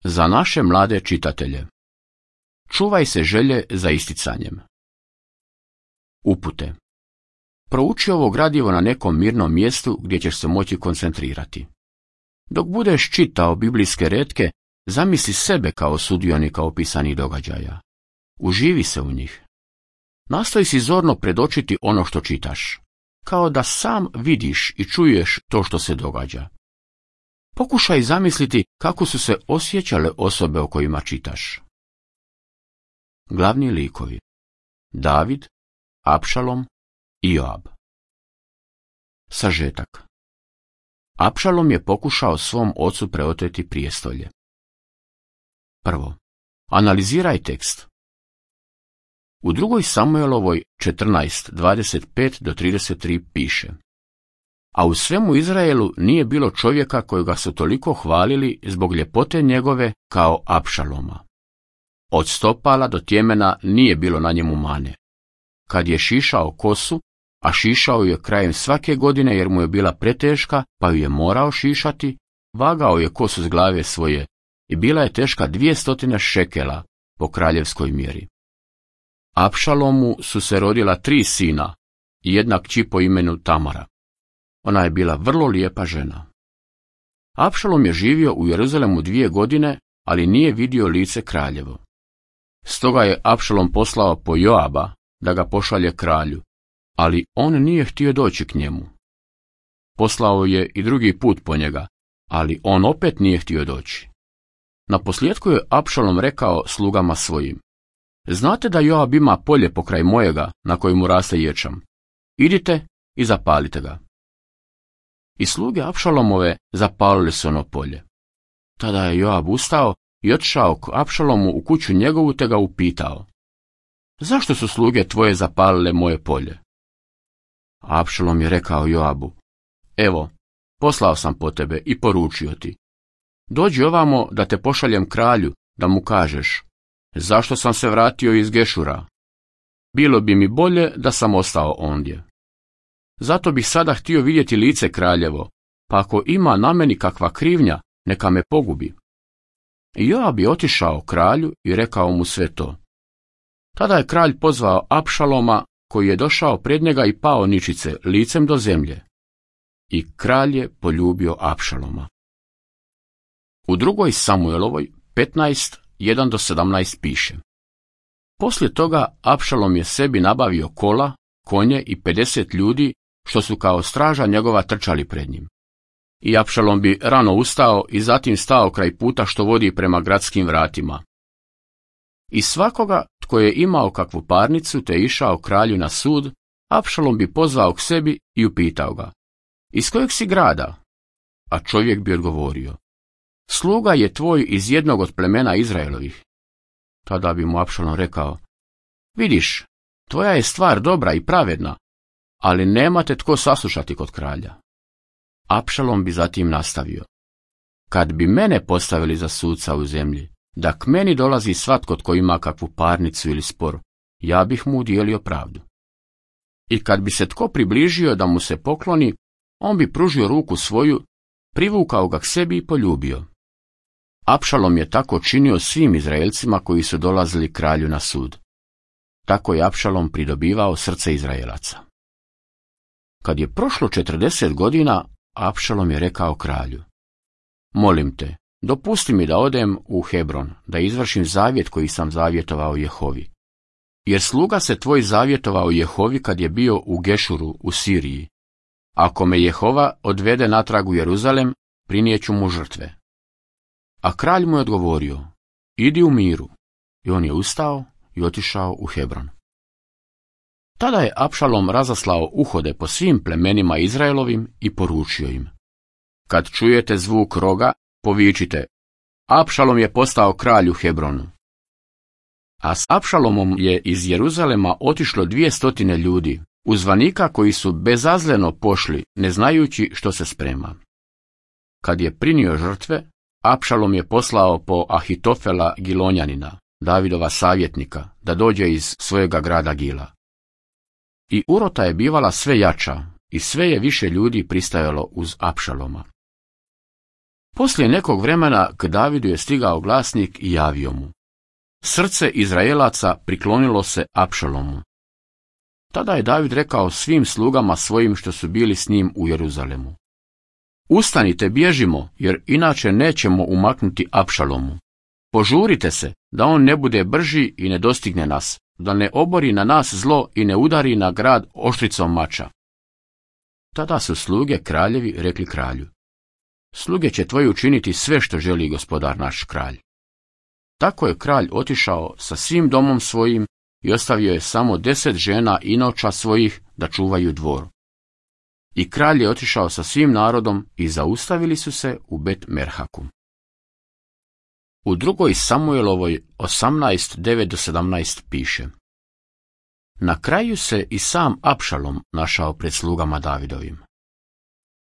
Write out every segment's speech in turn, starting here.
Za naše mlade čitatelje. Čuvaj se želje za isticanjem. Upute. Prouči ovo gradivo na nekom mirnom mjestu gdje ćeš se moći koncentrirati. Dok budeš čitao biblijske retke, zamisli sebe kao sudionika opisanih događaja. Uživi se u njih. Nastoji si zorno predočiti ono što čitaš, kao da sam vidiš i čuješ to što se događa. Pokušaj zamisliti kako su se osjećale osobe o kojima čitaš. Glavni likovi: David, Apšalom i Joab. Sažetak. Apšalom je pokušao svom ocu preoteti prijestolje. Prvo, analiziraj tekst. U 2. Samuelovoj 14:25-33 piše: A u svemu Izraelu nije bilo čovjeka kojega su toliko hvalili zbog ljepote njegove kao Apšaloma. Od stopala do tjemena nije bilo na njemu mane. Kad je šišao kosu, a šišao je krajem svake godine jer mu je bila preteška, pa ju je morao šišati, vagao je kosu s glave svoje i bila je teška 200 šekela po kraljevskoj mjeri. Apšalomu su se rodila 3 sina i jedna kći po imenu Tamara. Ona je bila vrlo lijepa žena. Apšalom je živio u Jeruzalemu 2 godine, ali nije vidio lice kraljevo. Stoga je Apšalom poslao po Joaba da ga pošalje kralju, ali on nije htio doći k njemu. Poslao je i drugi put po njega, ali on opet nije htio doći. Naposljetku je Apšalom rekao slugama svojim: Znate da Joab ima polje pokraj mojega na kojemu raste ječam. Idite i zapalite ga. I sluge Apšalomove zapalili su ono polje. Tada je Joab ustao i otišao k Apšalomu u kuću njegovu te ga upitao: Zašto su sluge tvoje zapalile moje polje? Apšalom je rekao Joabu: Evo, poslao sam po tebe i poručio ti: Dođi ovamo da te pošaljem kralju, da mu kažeš: Zašto sam se vratio iz Gešura? Bilo bi mi bolje da sam ostao ondje. Zato bih sada htio vidjeti lice kraljevo, pa ako ima na meni kakva krivnja, neka me pogubi. I Joab je otišao kralju i rekao mu sve to. Tada je kralj pozvao Apšaloma, koji je došao pred njega i pao ničice licem do zemlje. I kralj je poljubio Apšaloma. U 2. Samuelovoj 15:1-17 piše: Poslije toga Apšalom je sebi nabavio kola, konje i 50 ljudi, što su kao straža njegova trčali pred njim. I Apšalom bi rano ustao i zatim stao kraj puta što vodi prema gradskim vratima. I svakoga tko je imao kakvu parnicu te išao kralju na sud, Apšalom bi pozvao k sebi i upitao ga: Iz kojeg si grada? A čovjek bi odgovorio: Sluga je tvoj iz jednog od plemena Izraelovih. Tada bi mu Apšalom rekao: Vidiš, tvoja je stvar dobra i pravedna, ali nema te tko saslušati kod kralja. Apšalom bi zatim nastavio: Kad bi mene postavili za suca u zemlji, da k meni dolazi svatko tko ima kakvu parnicu ili spor, ja bih mu udijelio pravdu. I kad bi se tko približio da mu se pokloni, on bi pružio ruku svoju, privukao ga k sebi i poljubio. Apšalom je tako činio svim Izraelcima koji su dolazili kralju na sud. Tako je Apšalom pridobivao srce Izraelaca. Kad je prošlo 40 godina, Apšalom je rekao kralju: Molim te, dopusti mi da odem u Hebron, da izvršim zavjet koji sam zavjetovao Jehovi. Jer sluga se tvoj zavjetovao Jehovi kad je bio u Gešuru u Siriji. Ako me Jehova odvede natrag u Jeruzalem, prinijeću mu žrtve. A kralj mu je odgovorio: Idi u miru. I on je ustao i otišao u Hebron. Tada je Apšalom razaslao uhode po svim plemenima Izraelovim i poručio im: Kad čujete zvuk roga, povičite: Apšalom je postao kralj u Hebronu. A s Apšalomom je iz Jeruzalema otišlo 200 ljudi, uzvanika koji su bezazleno pošli, ne znajući što se sprema. Kad je prinio žrtve, Apšalom je poslao po Ahitofela Gilonjanina, Davidova savjetnika, da dođe iz svojega grada Gila. I urota je bivala sve jača i sve je više ljudi pristajalo uz Apšaloma. Poslije nekog vremena k Davidu je stigao glasnik i javio mu: srce Izraelaca priklonilo se Apšalomu. Tada je David rekao svim slugama svojim što su bili s njim u Jeruzalemu: ustanite, bježimo, jer inače nećemo umaknuti Apšalomu. Požurite se, da on ne bude brži i ne dostigne nas, da ne obori na nas zlo i ne udari na grad oštricom mača. Tada su sluge kraljevi rekli kralju: sluge će tvoji učiniti sve što želi gospodar naš kralj. Tako je kralj otišao sa svim domom svojim i ostavio je samo 10 žena inoča svojih da čuvaju dvor. I kralj je otišao sa svim narodom i zaustavili su se u Bet Merhaku. U 2. Samuelovoj 18:9-17 piše: na kraju se i sam Apšalom našao pred slugama Davidovim.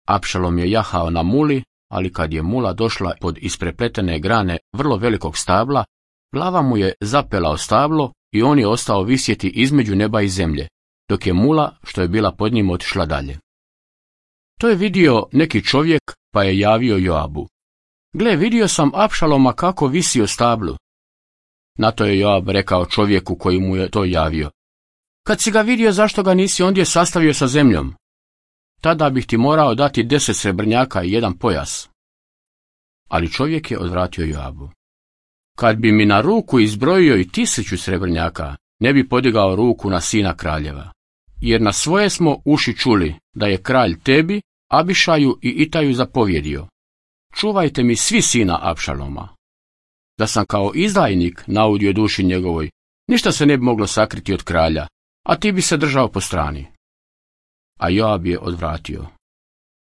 Apšalom je jahao na muli, ali kad je mula došla pod isprepletene grane vrlo velikog stabla, glava mu je zapela o stablo i on je ostao visjeti između neba i zemlje, dok je mula, što je bila pod njim, otišla dalje. To je vidio neki čovjek, pa je javio Joabu: gle, vidio sam Apšaloma kako visi o stablu. Na to je Joab rekao čovjeku koji mu je to javio: kad si ga vidio, zašto ga nisi ondje sastavio sa zemljom? Tada bih ti morao dati 10 srebrnjaka i 1 pojas. Ali čovjek je odvratio Joabu: kad bi mi na ruku izbrojio i 1000 srebrnjaka, ne bi podigao ruku na sina kraljeva. Jer na svoje smo uši čuli da je kralj tebi, Abišaju i Itaju zapovjedio: čuvajte mi svi sina Apšaloma. Da sam kao izdajnik naudio duši njegovoj, ništa se ne bi moglo sakriti od kralja, a ti bi se držao po strani. A Joab je odvratio: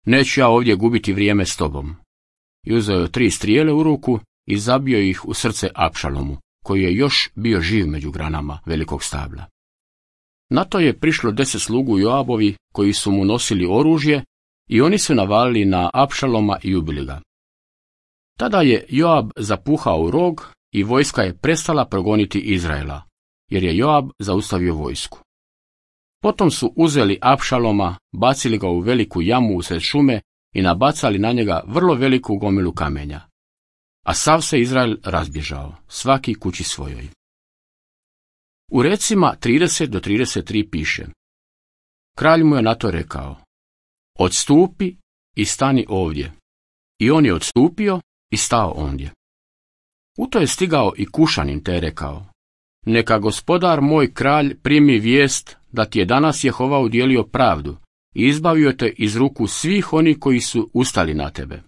neću ja ovdje gubiti vrijeme s tobom. I uzeo je 3 strijele u ruku i zabio ih u srce Apšalomu, koji je još bio živ među granama velikog stabla. Na to je prišlo 10 slugu Joabovi koji su mu nosili oružje i oni su navalili na Apšaloma i ubili ga. Tada je Joab zapuhao u rog i vojska je prestala progoniti Izraela, jer je Joab zaustavio vojsku. Potom su uzeli Apšaloma, bacili ga u veliku jamu usred šume i nabacali na njega vrlo veliku gomilu kamenja. A sav se Izrael razbježao, svaki kući svojoj. U recima 30-33 piše: kralj mu je na to rekao: odstupi i stani ovdje. I on je odstupio i stao ondje. U to je stigao i Kušanin te je rekao: neka gospodar moj kralj primi vijest da ti je danas Jehova udjelio pravdu i izbavio te iz ruku svih onih koji su ustali na tebe.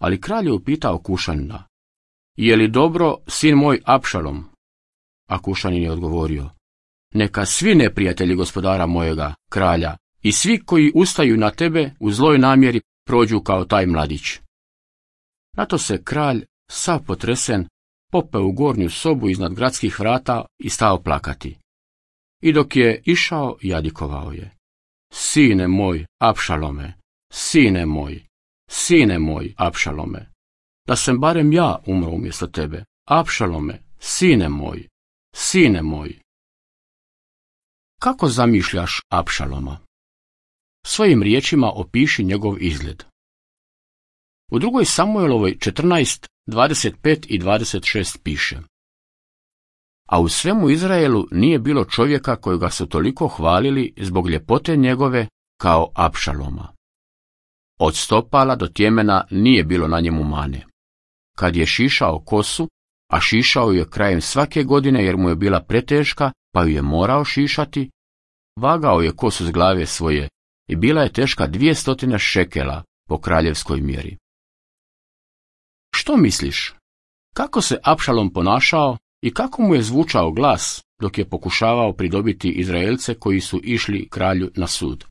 Ali kralj je upitao Kušanina: je li dobro sin moj Apšalom? A Kušanin je odgovorio: neka svi neprijatelji gospodara mojega kralja i svi koji ustaju na tebe u zloj namjeri prođu kao taj mladić. Na to se kralj, sav potresen, popeo u gornju sobu iznad gradskih vrata i stao plakati. I dok je išao, jadikovao je: sine moj Apšalome, sine moj Apšalome, da sam barem ja umro umjesto tebe, Apšalome, sine moj. Kako zamišljaš Apšaloma? Svojim riječima opiši njegov izgled. U 2. Samuelovoj 14, 25 i 26 piše: a u svemu Izraelu nije bilo čovjeka kojega su toliko hvalili zbog ljepote njegove kao Apšaloma. Od stopala do tjemena nije bilo na njemu mane. Kad je šišao kosu, a šišao ju je krajem svake godine jer mu je bila preteška, pa ju je morao šišati, vagao je kosu s glave svoje i bila je teška 200 šekela po kraljevskoj mjeri. Što misliš? Kako se Apšalom ponašao i kako mu je zvučao glas dok je pokušavao pridobiti Izraelce koji su išli kralju na sud?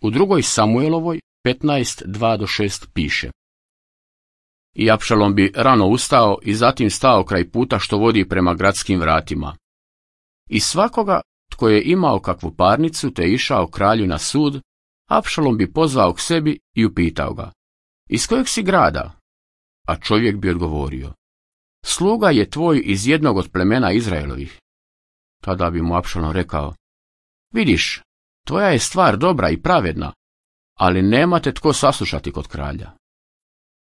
U 2. Samuelovoj 15, 2-6 piše: i Apšalom bi rano ustao i zatim stao kraj puta što vodi prema gradskim vratima. I svakoga tko je imao kakvu parnicu te išao kralju na sud, Apšalom bi pozvao k sebi i upitao ga: iz kojeg si grada? A čovjek bi odgovorio: sluga je tvoj iz jednog od plemena Izraelovih. Tada bi mu Apšalom rekao: vidiš, tvoja je stvar dobra i pravedna, ali nemate tko saslušati kod kralja.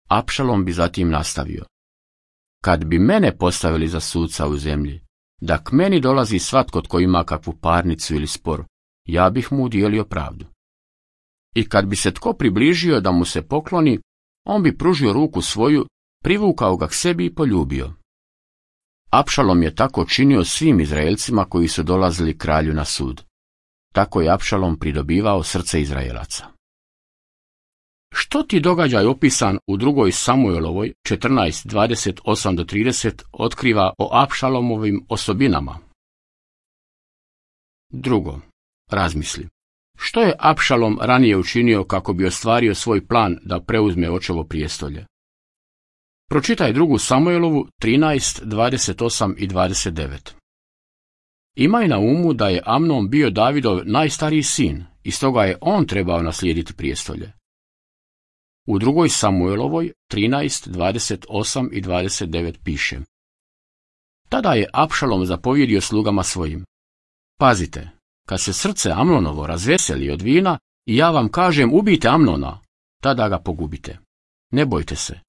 Apšalom bi zatim nastavio: kad bi mene postavili za suca u zemlji, da k meni dolazi svatko tko ima kakvu parnicu ili spor, ja bih mu udijelio pravdu. I kad bi se tko približio da mu se pokloni, on bi pružio ruku svoju, privukao ga k sebi i poljubio. Apšalom je tako činio svim Izraelcima koji su dolazili kralju na sud. Tako je Apšalom pridobivao srce Izraelaca. Što ti događaj opisan u 2. Samuelovoj 14:28-30 otkriva o Apšalomovim osobinama? Drugo, razmisli. Što je Apšalom ranije učinio kako bi ostvario svoj plan da preuzme očevo prijestolje? Pročitaj 2. Samuelovu 13:28 i 29. Imaj na umu da je Amnon bio Davidov najstariji sin i stoga je on trebao naslijediti prijestolje. U 2. Samuelovoj 13:28 i 29 piše: tada je Apšalom zapovjedio slugama svojim: pazite, kad se srce Amnonovo razveseli od vina i ja vam kažem ubijte Amnona, tada ga pogubite. Ne bojte se,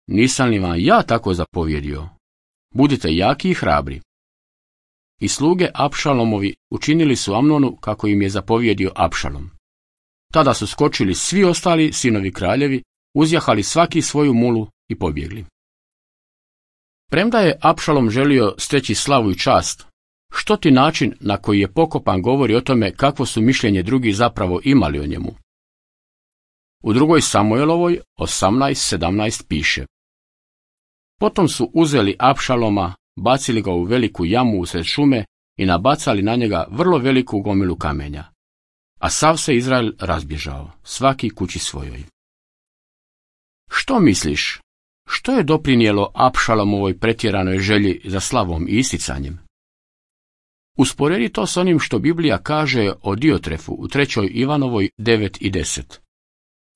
nisam li vam ja tako zapovjedio? Budite jaki i hrabri. I sluge Apšalomovi učinili su Amnonu kako im je zapovjedio Apšalom. Tada su skočili svi ostali sinovi kraljevi, uzjahali svaki svoju mulu i pobjegli. Premda je Apšalom želio steći slavu i čast, što ti način na koji je pokopan govori o tome kakvo su mišljenje drugi zapravo imali o njemu. U 2. Samuelovoj 18:17 piše: potom su uzeli Apšaloma, bacili ga u veliku jamu usred šume i nabacali na njega vrlo veliku gomilu kamenja. A sav se Izrael razbježao, svaki kući svojoj. Što misliš, što je doprinijelo Apšalomovoj pretjeranoj želji za slavom i isticanjem? Usporedi to s onim što Biblija kaže o Diotrefu u 3. Ivanovoj 9 i 10.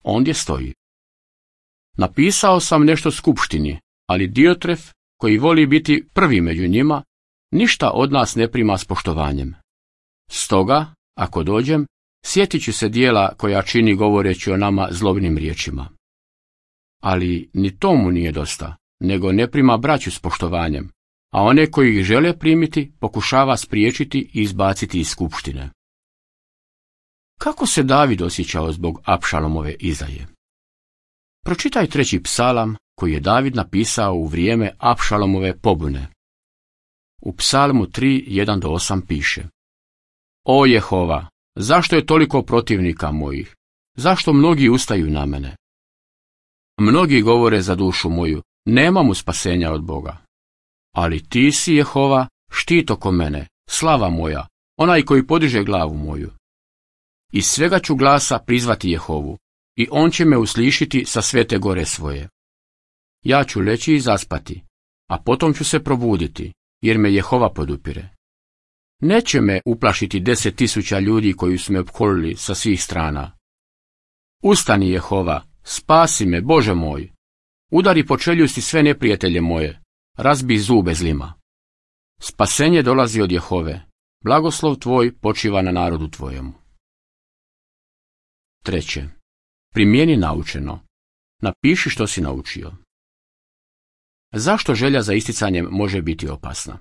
Ondje stoji: napisao sam nešto skupštini, ali Diotref, koji voli biti prvi među njima, ništa od nas ne prima s poštovanjem. Stoga, ako dođem, sjetit ću se dijela koja čini govoreći o nama zlobnim riječima. Ali ni tomu nije dosta, nego ne prima braću s poštovanjem, a one koji ih žele primiti pokušava spriječiti i izbaciti iz skupštine. Kako se David osjećao zbog Apšalomove izdaje? Pročitaj 3. psalam koji je David napisao u vrijeme Apšalomove pobune. U psalmu 3:1-8 piše: o Jehova, zašto je toliko protivnika mojih? Zašto mnogi ustaju na mene? Mnogi govore za dušu moju, nema mu spasenja od Boga. Ali ti si, Jehova, štit oko mene, slava moja, onaj koji podiže glavu moju. Iz svega ću glasa prizvati Jehovu, i on će me uslišiti sa svete gore svoje. Ja ću leći i zaspati, a potom ću se probuditi, jer me Jehova podupire. Neće me uplašiti 10.000 ljudi koji su me opkolili sa svih strana. Ustani, Jehova, spasi me, Bože moj. Udari po čeljusti sve neprijatelje moje, razbi zube zlima. Spasenje dolazi od Jehove, blagoslov tvoj počiva na narodu tvojemu. 3. Primjeni naučeno. Napiši što si naučio. Zašto želja za isticanjem može biti opasna?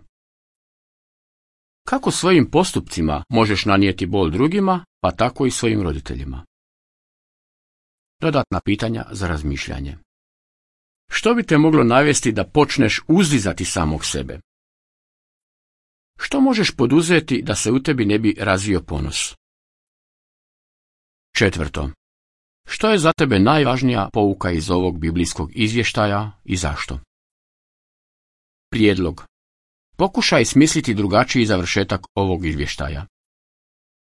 Kako svojim postupcima možeš nanijeti bol drugima, pa tako i svojim roditeljima? Dodatna pitanja za razmišljanje. Što bi te moglo navesti da počneš uzdizati samog sebe? Što možeš poduzeti da se u tebi ne bi razvio ponos? 4. Što je za tebe najvažnija pouka iz ovog biblijskog izvještaja i zašto? Prijedlog. Pokušaj smisliti drugačiji završetak ovog izvještaja.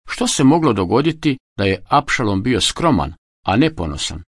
Što se moglo dogoditi da je Apšalom bio skroman, a ne ponosan?